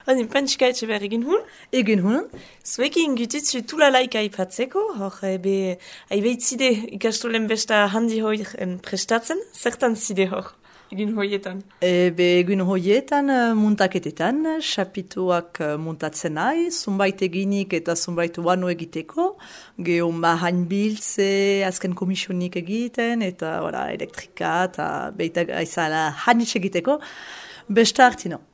Odin pentska etxe behar egin hun? Egin hun. Zuekin gutitzu tulalaika aipatzeko, hor aibeitzide ikastolen besta handi hoien prestatzen, zertan zide hor, egin hoietan? Egin hoietan muntaketetan, xapituak muntatzen nahi, zunbait eginik eta zunbait uanu egiteko, geho mahain biltze, azken komisionik egiten, eta elektrika eta beita aizala hanitz egiteko, besta hartino.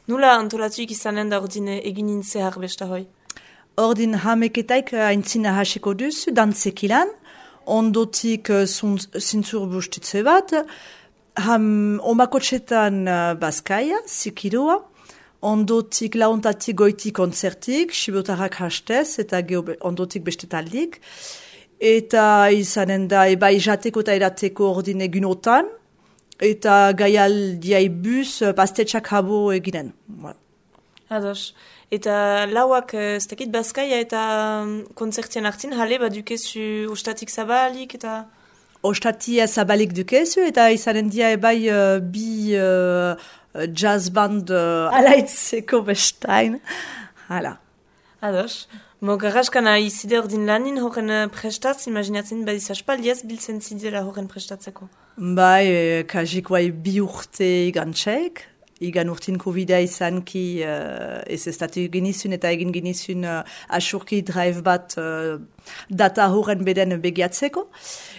Nula antolatuik izanen da ordin egin intzehar besta hoi? Ordin hameketaik aintzina hasiko duzu, dantzekilan, ondotik zintzur bustitze bat, omakotxetan bazkaia, zikirua, ondotik launtatik goitik konzertik, sibotarrak hastez, eta ondotik bestetaldik, eta izanen da bai jateko eta erateko ordin egunotan, eta gaialdiai bus pastetxak habo eginen. Ados. Eta lauak ez dakit bazkaia eta konzertien hartin, jale bat dukezu ostatik zabalik eta... Ostatia zabalik dukezu eta izanen dia bai bi jazz band alaitzeko bestain. Hala. Ados. Mo garraskana izide ordin lanin horren prestatz, imaginatzen badiz aspaldiaz biltzen zidela horren prestatzeko. Bai, kajik bai bi urte igantxek. Igan urtin Covid-a izan ki ez estatu genizun eta egin genizun asurki drive bat data horren beden begiatzeko.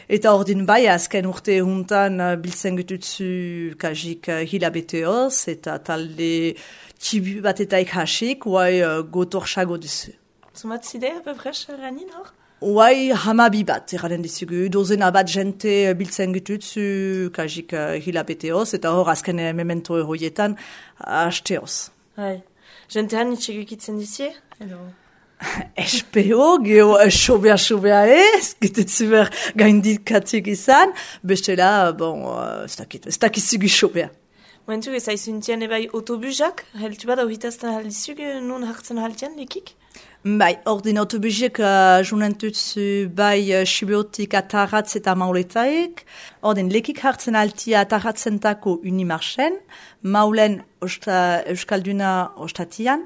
Eta ordin bai, azken urte juntan biltzen gututzu kajik hilabeteoz eta talde txibi bat eta ikasik, guai gotorxago duzu. Zumat zide, apepres, lanin hor? Uai, hamabi bat, erranen dizugu, dozena bat jente biltzen gututzu kajik hilabeteoz, eta hor azken memento horietan hasteoz. Hai, jente han itxegukitzen dizie? Edo... Espeo, geho sobea ez, gitutzu behar gaindikatik izan, bestela, bon, ez dakizugu sobea. Momentu ez aizuntien ebai autobusak, heltu bada horretazten haldizugu, non hartzen haltian lekik? Bai, ordin autobusiek junentutzu bai Sibeotik atarratz eta mauletaik. Ordin lekik hartzen altia atarratzentako unimarchen, maulen euskalduna ostatian.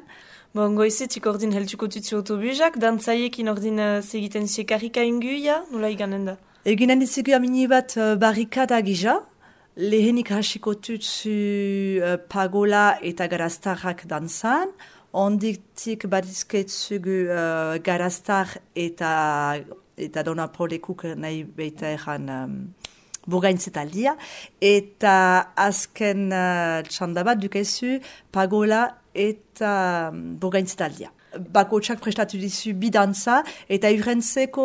Bon, goizetik ordin heltuko tutzu autobusak, dantzaiekin ordin segiten sekarrika inguia, nola iganen da? Eginen dizugu amini bat barrikada gija, lehenik hasiko tutzu pagola eta garaztarrak dantzan, ondiktik badizketzugu garaztar eta dona polekuk nahi beita eran burgaintzetaldia, eta azken txandabat dukezu pagola eta burgaintzetaldia. Bakotxak prestatu dizu bidantza, eta urentzeko,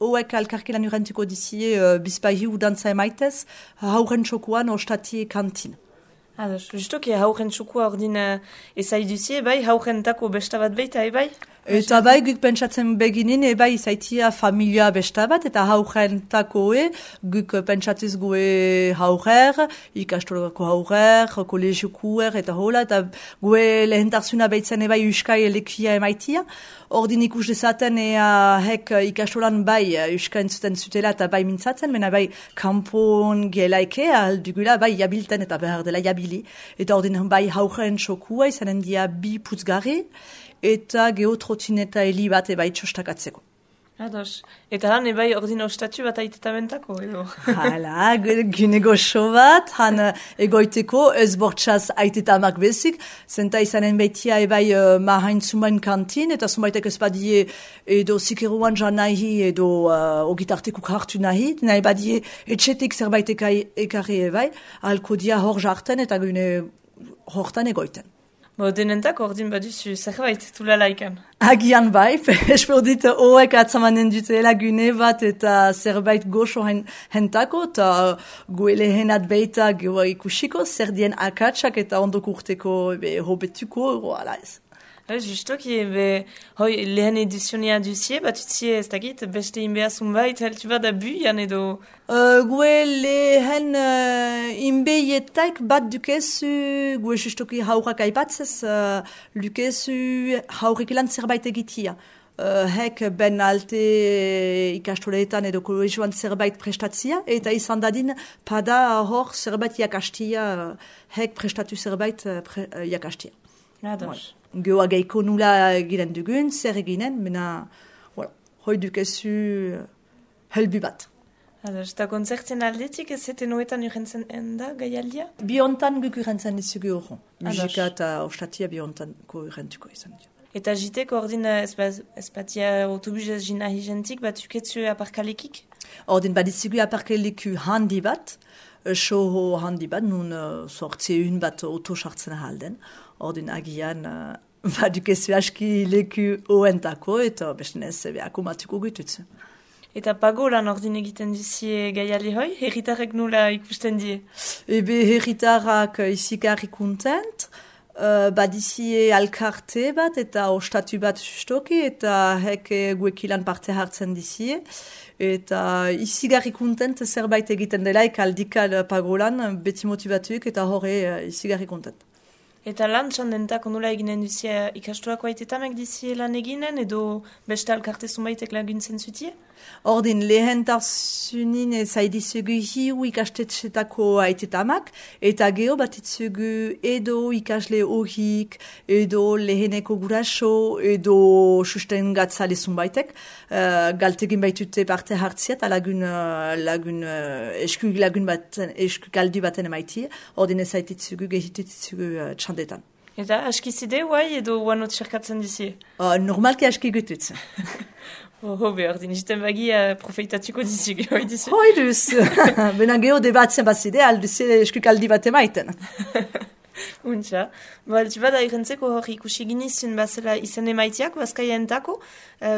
hoek alkarkelan urentuko dizie bizpahiu dantza emaitez, hauren txokuan ostatie kantin. Ados, justoki hauren txukua ordin ezai duzie, bai, haurentako besta bat beita, bai? Eta bai, guk pentsatzen beginin, bai, izaitia familia besta bat, eta haurentako guk pentsatuz gue haurer, ikastolako haurer, kolegiokuer, eta hola, eta gue lehentarzuna behitzen bai uskai lekia emaitia. Ordin ikus dezaten hek ikastolan bai uska entzuten zutela eta bai mintzatzen, mena bai kampon gelaike aldugula bai jabilten eta behar dela jabili. Eta ordin bai hauren txokua izanen dia bi putzgarri eta geotrotineta heli bat bai txostakatzeko. Ados. Eta han ebai ordin ostatu bat aitetabentako, edo? Hala, gynego show bat, han egoiteko ez bortxaz aitetamak bezik, zenta izanen behitia ebai mahain zumain kantin, eta zumaitek ez badie edo zikeruan jan nahi, edo ogitartekuk hartu nahi badie etxetik zerbait ekarri ebai, alko dia hor jarten eta gune hortan egoiten. Bo, denentak ordin baduzu zerbait, tula laikan. Agian bai, espero dit hoek atzamanen dutela gune bat eta zerbait goxo hentako, eta goele henat beita gehoa ikusiko, zer dien akatsak eta ondok urteko hobetuko, ala ez. Justoki, lehen edizionia duzie, bat utzie ez dakit, beste inbehazun bait, heltu bat abuian edo... Gue lehen inbehietaik bat dukezu, gue justoki haurak aipatzez, dukezu haurek ilan zerbait egitia. Hek ben alte ikastoleetan edo kolegioan zerbait prestatzia, eta izan dadin pada hor zerbait jakastia, hek prestatu zerbait jakastia. Ados. Geoa geiko nula eginen dugun, zer eginen, mena, hoi dukezu helbu bat. Ados, eta konzertzen aldetik ez zeten hoetan urrentzen da gaialdia? Biontan guk urrentzen dizugu horren. Musika eta ostatia biontanko urrentuko izan dio. Eta jiteko ordin ez batia autobus ez jina hijentik, bat uketzu aparkalekik? Ordin badizugu aparkaleku handi bat, soho handi bat, nun sortzeun bat auto sartzen ahalden. Ordin agian badukezu aski leku oentako eta bestenez behako matuko gututzu. Eta pagolan ordin egiten duzie gaiali hoi, herritarrek nula ikusten die? Ebe herritarrak izigarri kontent, badizie alkarte bat eta ostatu bat justoki eta hek guekilan parte hartzen dizie. Eta izigarri kontent zerbait egiten delaik aldikal pagolan beti motivatuik eta horre izigarri kontent. Eta lan txandentako nula eginen duzie ikastoako aitetamek dizie lan eginen edo beste alkarte zunbaitek laguntzen zutie? Ordin lehentasunin zaidizugu hiu ikastetxetako aitetamak eta geho batitzugu edo ikasle horik, edo leheneko guraso, edo susten gatzale zunbaitek, galtegin baitute parte hartzia eta lagun eskugaldu baten emaitie, ordin ezaititzugu gehitutzugu txandetan. Eta askizide guai edo guanot txerkatzen dizie? Normalki aski gututz. Hobe, ordin, jiten bagi profeitatuko dizik, hoi dizu? Hoi duz, bena geho debatzen bazide, alduze eskukaldi bat emaiten. Untxa. Baltu bada irentzeko hori ikusi ginizun bazela izen emaitiak, bazkaia entako,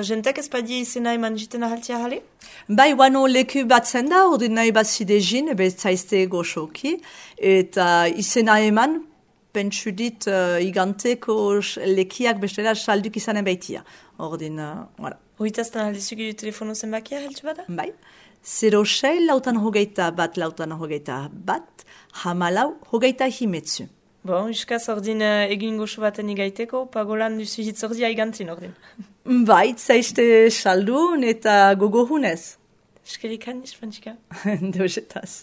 jentek ez badie izena eman jiten ahaltia jale? Bai, wano leku batzen da, ordin nahi bazide jin, ebe zaizte goxoki, eta izena eman, pentsu dit iganteko lekiak bestela salduk izanen baitia. Ordin, voilà. Hoitazten aldizugu telefono zenbakia, heltu bada? Bai. 06 lautan hogeita bat, hamalau hogeita himetzu. Bon, iskaz ordin egin goxo baten igaiteko, pagolan duzu hitzordia igantzin ordin. Bai, zaizte saldun eta gogo hunez. Eskerikan, ispantzika. Deusetaz.